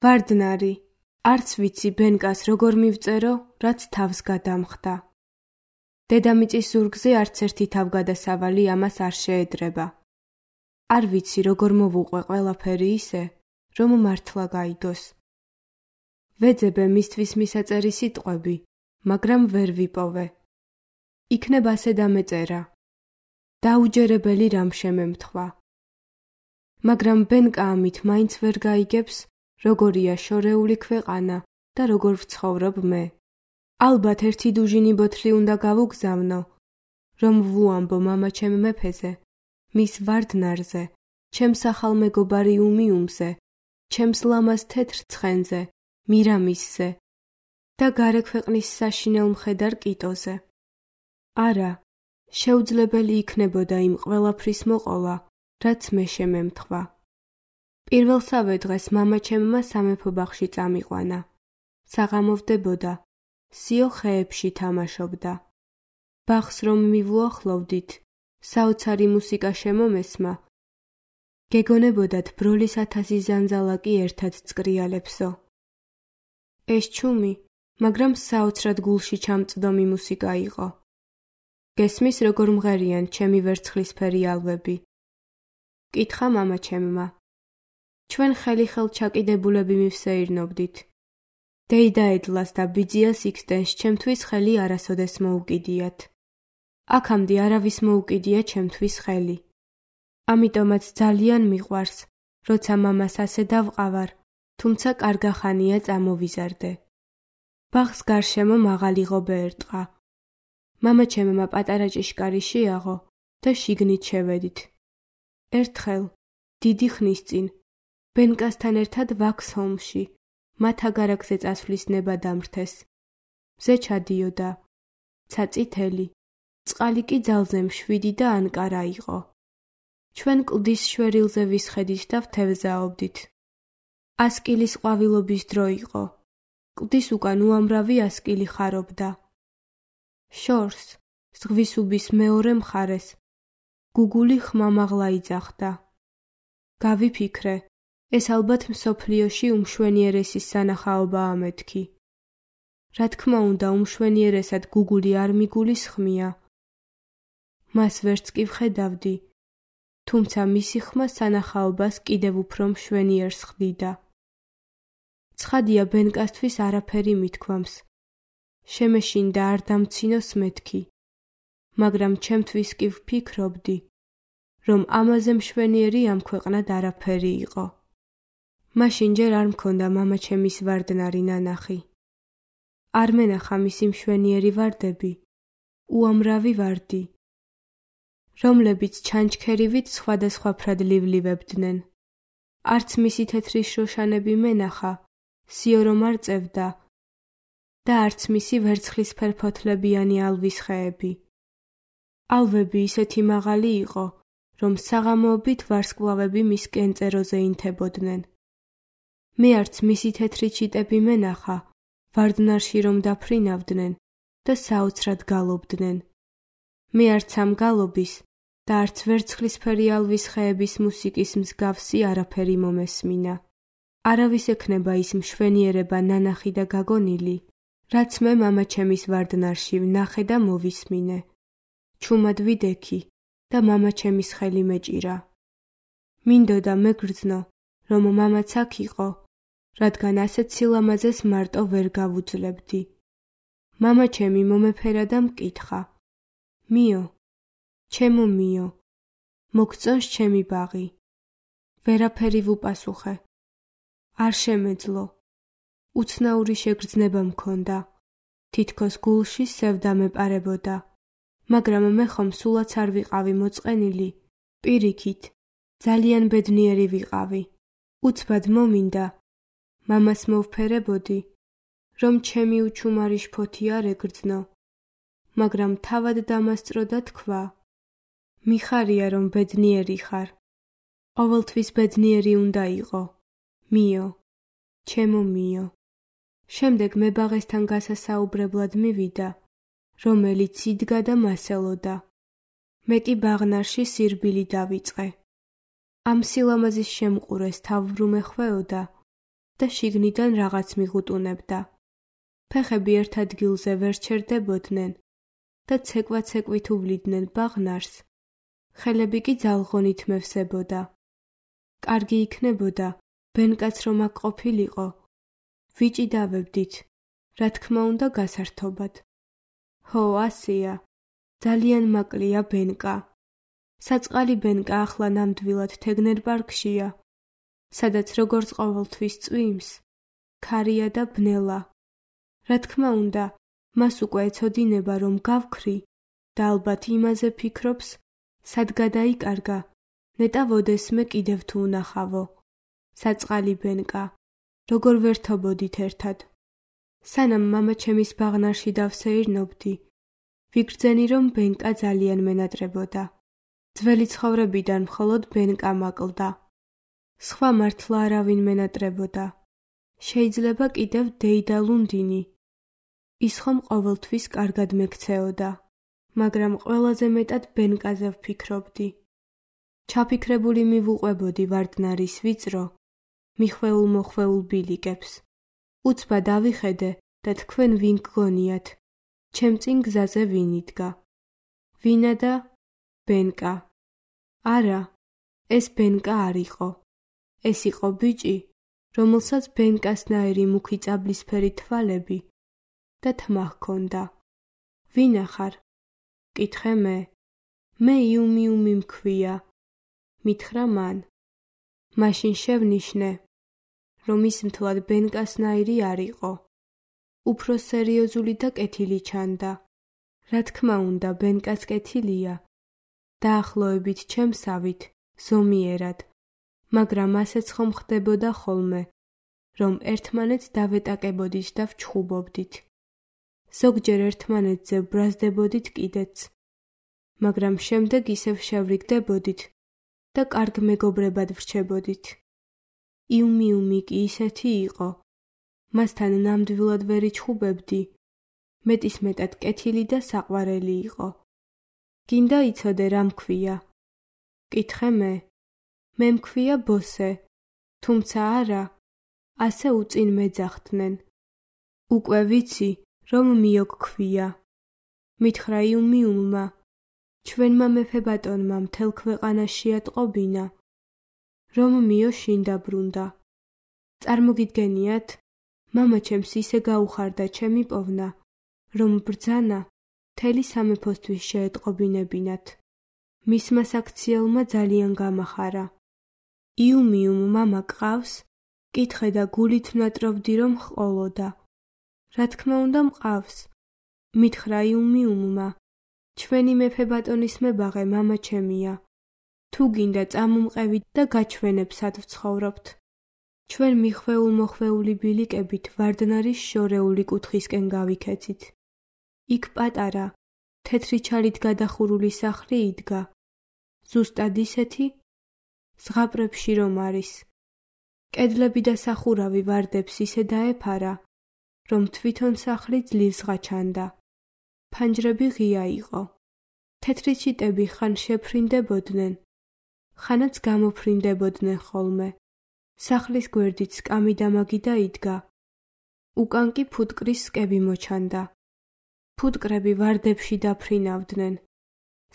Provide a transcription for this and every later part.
ვარდნარი, არც ვიცი ბენკას როგორ მივწერო, რაც თავს გადამხდა. დედამიწის ზურგზე არც ერთი თავგადასავალი ამას არ შეედრება. არ ვიცი როგორ მოვუყვე ყველაფერი ისე, რომ მართლა გაიგოს. ვეძებე მისთვის მისაწერი სიტყვები, მაგრამ ვერ ვიპოვე. იქნებ ასე დამეწერა. დაუჯერებელი რამ შემემთხვა. მაგრამ ბენკა ამით მაინც ვერ გაიგებს, როგორია შორეული ქვეყანა და როგორ ვცხოვრობ მე. ალბათ ერთი დუჟინი ბოთლი უნდა გავუგზავნო, რომ ვუამბო მამაჩემ მეფეზე, მის ვარდნარზე, ჩემს ახალ მეგობარი უმიუმზე, ჩემს ლამაზ თეთრ ცხენზე, მირამისზე და გარე ქვეყნის საშინელ მხედარ კიტოზე. არა, შეუძლებელი იქნებოდა იმ ყველაფრის მოყოლა, რაც მე შემემთხვა. პირველსავე დღეს მამაჩემმა სამეფო ბაღში წამიყვანა. საღამოვდებოდა, სიო ხეებში თამაშობდა. ბაღს რომ მივუახლოვდით, საოცარი მუსიკა შემომესმა, გეგონებოდათ ბროლის 1000 ზანზალაკი ერთად წკრიალებსო. ეს ჩუმი, მაგრამ საოცრად გულში ჩამწდომი მუსიკა იყო. გესმის როგორ მღერიან ჩემი ვერცხლისფერი ალვები. კითხა მამაჩემმა. ჩვენ ხელი-ხელ ჩაკიდებულები მივსეირნობდით. დეიდაედლას და ბიძიას იქსდენს ჩემთვის ხელი არასოდეს მოუკიდიათ. აქამდე არავის მოუკიდია ჩემთვის ხელი. ამიტომაც ძალიან მიყვარს, როცა მამას ასე დავყავარ, თუმცა კარგახანია წამოვიზარდე. ბაღს გარშემო მაღალი ღობე ერტყა. მამაჩემმა პატარა ჭიშკარი შეაღო და შიგნით შევედით. ერთხელ, დიდი ხნის წინ, ბენკასთან ერთად ვაქს ჰომში, მათ აგარაკზე წასვლის ნება დამრთეს. მზე ჩადიოდა, ცაწითელი, წყალი კი ძალზე მშვიდი და ანკარა იყო. ჩვენ კლდის შვერილზე ვისხედით და ვთევზაობდით. 100 კილის ყვავილობის დრო იყო. კლდის უკან უამრავი 100 კილი ხარობდა. შორს, ზღვის უბის მეორე მხარეს, გუგული ხმამაღლა იძახდა. გავიფიქრე, ეს ალბათ მსოფლიოში უმშვენიერესის სანახაობაა მეთქი. რა თქმა უნდა, უმშვენიერესად გუგული არ მიგულის ხმია. მას ვერც კი ვხედავდი, თუმცა მისი ხმა სანახაობას კიდევ უფრო მშვენიერს ხდიდა. ცხადია ბენკასთვის არაფერი მithქვამს. შემეშინდა არ დამცინოს მეთქი, მაგრამ ჩემთვის კი ვფიქრობდი, რომ ამაზე მშვენიერი ამ ქვეყნად არაფერი იყო. მაშინ ჯერ არ მქონდა მამაჩემის ვარდნარი ნანახი. არ მენახა მისი მშვენიერი ვარდები, უამრავი ვარდი, რომლებიც ჩანჩქერივით სხვადასხვაფრად ლივლივებდნენ. არც მისი თეთრი შროშანები მენახა, სიო რომ არ წევდა და არც მისი ვერცხლისფერ ფოთლებიანი ალვის ხეები. ალვები ისეთი მაღალი იყო, რომ საღამოობით ვარსკვლავები მის კენწეროზე ინთებოდნენ. მე არც მისი თეთრი ჩიტები მენახა, ვარდნარში რომ დაფრინავდნენ და საოცრად გალობდნენ. მე არც ამ გალობის და არც ვერცხლისფერი ალვის ხეების მუსიკის მსგავსი არაფერი მომესმინა. არავის ექნება ის მშვენიერება ნანახი და გაგონილი, რაც მე მამაჩემის ვარდნარში ვნახე და მოვისმინე. ჩუმად ვიდექი და მამაჩემის ხელი მეჭირა. მინდოდა მეგრძნო, რომ მამაც აქ იყო, რადგან ასეთ სილამაზეს მარტო ვერ გავუძლებდი. მამაჩემი მომეფერა და მკითხა. მიო, ჩემო მიო, მოგწონს ჩემი ბაღი? ვერაფერი ვუპასუხე. არ შემეძლო. უცნაური შეგრძნება მქონდა. თითქოს გულში სევდა მეპარებოდა. მაგრამ მე ხომ სულაც არ ვიყავი მოწყენილი, პირიქით, ძალიან ბედნიერი ვიყავი. უცბად მომინდა, მამას მოვფერებოდი, რომ ჩემი უჩუმარი შფოთი არ ეგრძნო, მაგრამ თავად დამასწრო და თქვა, მიხარია რომ ბედნიერი ხარ, ყოველთვის ბედნიერი უნდა იყო, მიო, ჩემო მიო. შემდეგ მე ბაღესთან გასასაუბრებლად მივიდა, რომელიც იდგა და მასელოდა. მე კი ბაღნარში სირბილი დავიწყე. ამ სილამაზის შემყურეს თავბრუმე ხვეოდა და შიგნიდან რაღაც მიღუტუნებდა. ფეხები ერთ ადგილზე ვერ ჩერდებოდნენ და ცეკვა-ცეკვით უვლიდნენ ბაღნარს, ხელები კი ძალღონით მევსებოდა. კარგი იქნებოდა, ბენკაც რომ აქ ყოფილიყო. ვიჭიდავებდით, რა თქმა უნდა გასართობად. ჰო, ასია, ძალიან მაკლია ბენკა. საწყალი ბენკა ახლა ნამდვილად თეგნერ პარკშია, სადაც როგორც ყოველთვის წვიმს, ქარია და ბნელა. რა თქმა უნდა, მას უკვე ეცოდინება რომ გავქრი და ალბათ იმაზე ფიქრობს, სად გადაიკარგა, ნეტა ვოდესმე კიდევ თუ უნახავო. საწყალი ბენკა, როგორ ვერთობოდით ერთად. სანამ მამა ჩემის ბაღნარში დავსეირნობდი, ვიგრძენი რომ ბენკა ძალიან მენატრებოდა. ძველი ცხოვრებიდან მხოლოდ ბენკა მაკლდა. სხვა მართლა არავინ მენატრებოდა. შეიძლება კიდევ დეიდა ლუნდინი. ის ხომ ყოველთვის კარგად მექცეოდა, მაგრამ ყველაზე მეტად ბენკაზე ვფიქრობდი. ჩაფიქრებული მივუყვებოდი ვარდნარის ვიწრო, მიხვეულ-მოხვეულ ბილიკებს. უცბა დავიხედე და თქვენ ვინ გგონიათ, ჩემ წინ გზაზე ვინ იდგა. ვინა და ბენკა. არა, ეს ბენკა არ იყო. ეს იყო ბიჭი, რომელსაც ბენკასნაირი მუქი წაბლისფერი თვალები და თმა ჰქონდა. ვინა ხარ? კითხე მე. მე იუმიუმი მქვია. მითხრა მან. მაშინ შევნიშნე, რომ ის მთლად ბენკასნაირი არ იყო. უფრო სერიოზული და კეთილი ჩანდა. რა თქმა უნდა, ბენკაც კეთილია. დაახლოებით ჩემსავით, ზომიერად, მაგრამ ასეც ხომ ხდებოდა ხოლმე, რომ ერთმანეთს დავეტაკებოდით და ვჩხუბობდით. ზოგჯერ ერთმანეთზე ვბრაზდებოდით კიდეც, მაგრამ შემდეგ ისევ შევრიგდებოდით და კარგ მეგობრებად ვრჩებოდით. იუმიუმი კი ისეთი იყო, მასთან ნამდვილად ვერ იჩხუბებდი, მეტისმეტად კეთილი და საყვარელი იყო. გინდა იცოდე რა მქვია? კითხე მე. მე მქვია ბოსე, თუმცა არა, ასე უწინ მეძახდნენ. უკვე ვიცი, რომ მიო გქვია. მითხრა იუმიუმმა, ჩვენმა მეფე-ბატონმა მთელ ქვეყანაში ატყობინა, რომ მიო შინ დაბრუნდა. წარმოგიდგენიათ, მამა ჩემს ისე გაუხარდა ჩემი პოვნა, რომ ბრძანა მთელი სამეფოსთვის შეეტყობინებინათ. მისმა საქციელმა ძალიან გამახარა. იუმიუმ მამა გყავს? კითხე და გულით ვნატრობდი რომ ჰყოლოდა. რა თქმა უნდა მყავს. მითხრა იუმიუმმა, ჩვენი მეფე-ბატონის მებაღე მამა ჩემია. თუ გინდა წამომყევით და გაჩვენებ სად ვცხოვრობთ. ჩვენ მიხვეულ-მოხვეული ბილიკებით ვარდნარის შორეული კუთხისკენ გავიქეცით. იქ პატარა, თეთრი ჩალით გადახურული სახლი იდგა. ზუსტად ისეთი, ზღაპრებში რომ არის. კედლები და სახურავი ვარდებს ისე დაეფარა, რომ თვითონ სახლი ძლივს ღაჩანდა. ფანჯრები ღია იყო. თეთრი ჩიტები ხან შეფრინდებოდნენ, ხანაც გამოფრინდებოდნენ ხოლმე. სახლის გვერდით სკამი დამაგიდა იდგა. უკან კი ფუტკრის სკები მოჩანდა. ფუტკრები ვარდებში დაფრინავდნენ.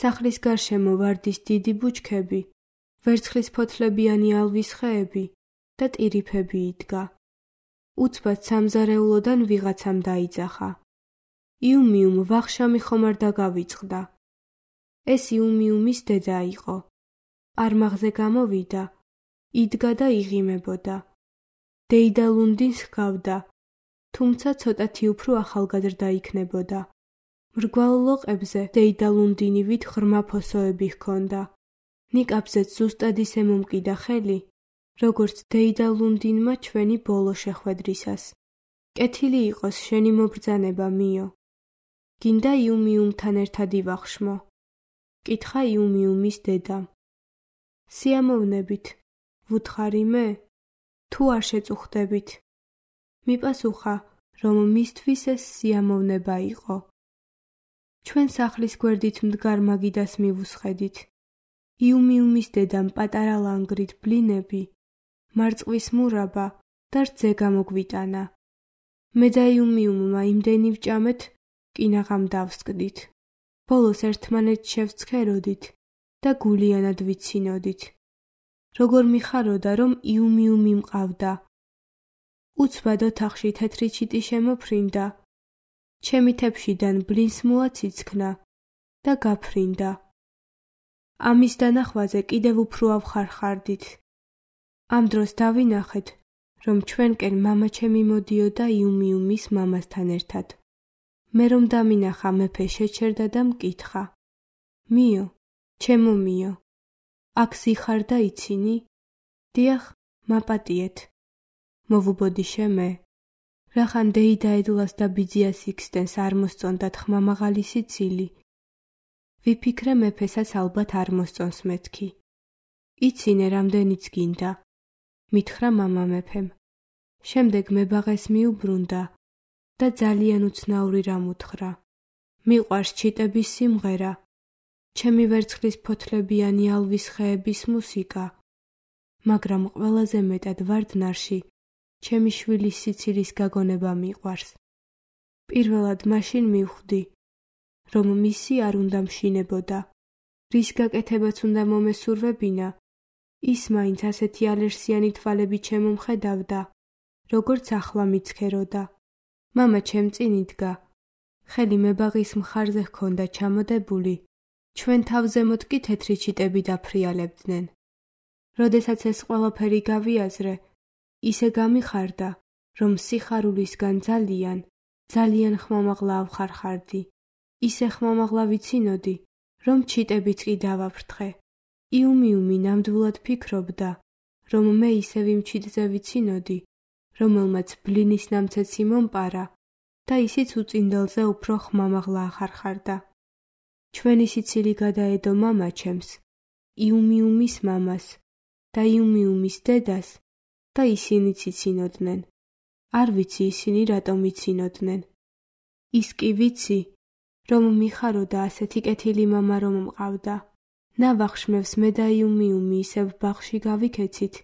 სახლის გარშემო ვარდის დიდი ბუჩქები, ვერცხლის ფოთლებიანი ალვის ხეები და ტირიფები იდგა. უცბად სამზარეულოდან ვიღაცამ დაიძახა. იუმიუმ ვახშამი ხომ არ დაგავიწყდა. ეს იუმიუმის დედა იყო. არმაღზე გამოვიდა, იდგა და იღიმებოდა. დეიდა ლუნდინს ჰგავდა, თუმცა ცოტათი უფრო ახალგაზრდა იქნებოდა. მრგვალ ლოყებზე დეიდა ლუნდინივით ღრმა ფოსოები ჰქონდა. ნიკაპზეც ზუსტად ისე მომკიდა ხელი, როგორც დეიდა ლუნდინმა ჩვენი ბოლო შეხვედრისას. კეთილი იყოს შენი მობრძანება, მიო. გინდა იუმიუმთან ერთად ივახშმო. კითხა იუმიუმის დედამ. სიამოვნებით, ვუთხარი მე? თუ არ შეწუხდებით? მიპასუხა, რომ მისთვის ეს სიამოვნება იყო. ჩვენ სახლის გვერდით მდგარ მაგიდას მივუსხედით. იუმიუმის დედამ პატარა ლანგრით ბლინები, მარწყვის მურაბა და რძე გამოგვიტანა. მე და იუმიუმმა იმდენი ვჭამეთ, კინაღამ დავსკდით. ბოლოს ერთმანეთს შევცქეროდით და გულიანად ვიცინოდით. როგორ მიხაროდა, რომ იუმიუმი მყავდა. უცბად ოთახში თეთრი ჩიტი შემოფრინდა. ჩემი თეფშიდან ბლინს მოაციცქნა და გაფრინდა. ამის დანახვაზე კიდევ უფრო ავხარხარდით. ამ დროს დავინახეთ, რომ ჩვენკენ მამაჩემი მოდიოდა იუმიუმის მამასთან ერთად. მე რომ დამინახა, მეფე შეჩერდა და მკითხა: მიო, ჩემო მიო, აქ სიხარ და იცინი? დიახ, მაპატიეთ. მოვუბოდიშე მე. რახან დეიდაედლას და ბიძიას იქსდენს არ მოსწონდათ ხმამაღალი სიცილი. ვიფიქრე მეფესაც ალბათ არ მოსწონს მეთქი. იცინე რამდენიც გინდა, მითხრა მამა მეფემ. შემდეგ მებაღეს მიუბრუნდა და ძალიან უცნაური რამ უთხრა. მიყვარს ჩიტების სიმღერა, ჩემი ვერცხლის ფოთლებიანი ალვის ხეების მუსიკა, მაგრამ ყველაზე მეტად ვარდნარში ჩემი შვილის სიცილის გაგონება მიყვარს. პირველად მაშინ მივხვდი, რომ მისი არ უნდა მშინებოდა. რის გაკეთებაც უნდა მომესურვებინა, ის მაინც ასეთი ალერსიანი თვალები ჩემომხედავდა, როგორც ახლა მიცქეროდა. მამა ჩემ წინ იდგა. ხელი მებაღის მხარზე ჰქონდა ჩამოდებული, ჩვენ თავზემოთ კი თეთრი ჩიტები დაფრიალებდნენ. როდესაც ეს ყველაფერი გავიაზრე, ისე გამიხარდა, რომ სიხარულისგან ძალიან ხმამაღლა ავხარხარდი. ისე ხმამაღლა ვიცინოდი, რომ ჩიტებიც კი დავაფრთხე. იუმიუმი ნამდვილად ფიქრობდა, რომ მე ისევ იმ ჩიტზე ვიცინოდი, რომელმაც ბლინის ნამცეცი მომპარა და ისიც უწინდელზე უფრო ხმამაღლა ახარხარდა. ჩვენი სიცილი გადაედო მამაჩემს, იუმიუმის მამას და იუმიუმის დედას და ისინიც იცინოდნენ. არ ვიცი ისინი რატომ იცინოდნენ. ის კი ვიცი, რომ მიხაროდა ასეთი კეთილი მამა რომ მყავდა. ნავახშმევს მე და იუმიუმი ისევ ბაღში გავიქეცით,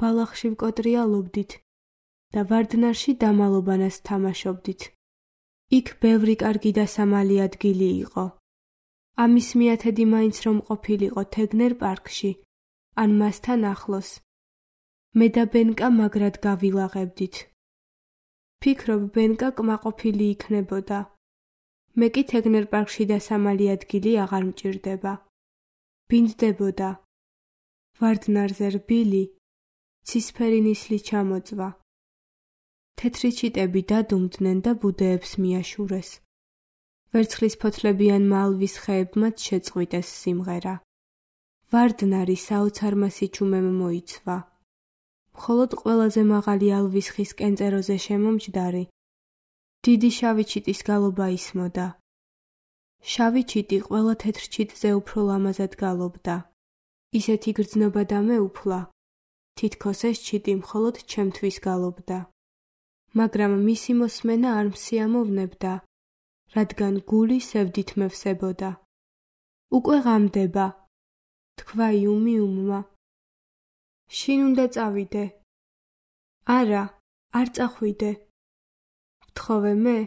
ბალახში ვკოტრიალობდით და ვარდნარში დამალობანას თამაშობდით. იქ ბევრი კარგი და სამალი ადგილი იყო. ამის მიათედი მაინც რომ ყოფილიყო თეგნერ პარკში, ან მასთან ახლოს. მე და ბენკა მაგრად გავილაღებდით. ფიქრობ, ბენკა კმაყოფილი იქნებოდა. მე კი თეგნერ პარკში და სამალი ადგილი აღარ მჭირდება. ბინდდებოდა. ვარდნარზე რბილი, ცისფერი ნისლი ჩამოწვა. თეთრი ჩიტები დადუმდნენ და ბუდეებს მიაშურეს. ვერცხლის ფოთლებიანმა ალვის ხეებმაც შეწყვიტეს სიმღერა. ვარდნარი საოცარმა სიჩუმემ მოიცვა. მხოლოდ ყველაზე მაღალი ალვის ხის კენწეროზე შემომჯდარი, დიდი შავი ჩიტის გალობა ისმოდა. შავი ჩიტი ყველა თეთრ ჩიტზე უფრო ლამაზად გალობდა. ისეთი გრძნობა და მეუფლა, თითქოს ეს ჩიტი მხოლოდ ჩემთვის გალობდა. მაგრამ მისი მოსმენა არ მსიამოვნებდა, რადგან გული სევდით მევსებოდა. უკვე ღამდება, თქვა იუმიუმმა. შინ უნდა წავიდე. არა, არ წახვიდე. ვთხოვე მე,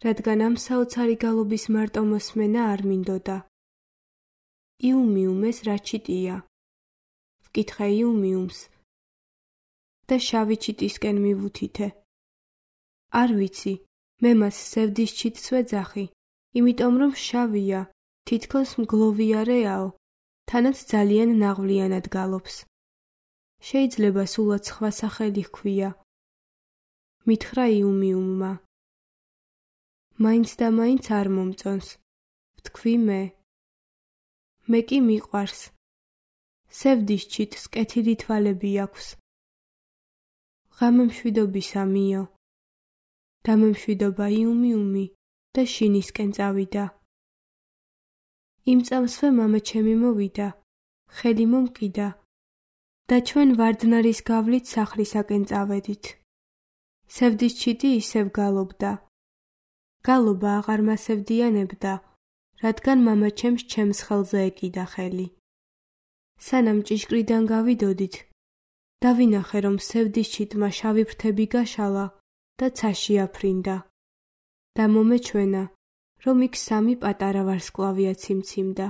რადგან ამ საოცარი გალობის მარტო მოსმენა არ მინდოდა. იუმიუმ, ეს რა ჩიტია? ვკითხე იუმიუმს და შავი ჩიტისკენ მივუთითე. არ ვიცი, მე მას სევდის ჩიტს ვეძახი, იმიტომ რომ შავია, თითქოს მგლოვიარეაო, თანაც ძალიან ნაღვლიანად გალობს. შეიძლება სულაც სხვა სახელი ჰქვია. მითხრა იუმიუმმა. მაინც და მაინც არ მომწონს, ვთქვი მე. მე კი მიყვარს. სევდის ჩიტს კეთილი თვალები აქვს. ღამე მშვიდობისა მიო. დამემშვიდობა იუმიუმი და შინისკენ წავიდა. იმ წამსვე მამაჩემი მოვიდა, ხელი მომკიდა და ჩვენ ვარდნარის გავლით სახლისაკენ წავედით. სევდის ჩიტი ისევ გალობდა. გალობა აღარ მასევდიანებდა, რადგან მამაჩემს ჩემს ხელზე ეკიდა ხელი. სანამ ჭიშკრიდან გავიდოდით, დავინახე, რომ სევდის ჩიტმა შავი ფრთები გაშალა და ცაში აფრინდა. და მომეჩვენა, რომ იქ 3 პატარა ვარსკვლავია ციმციმდა.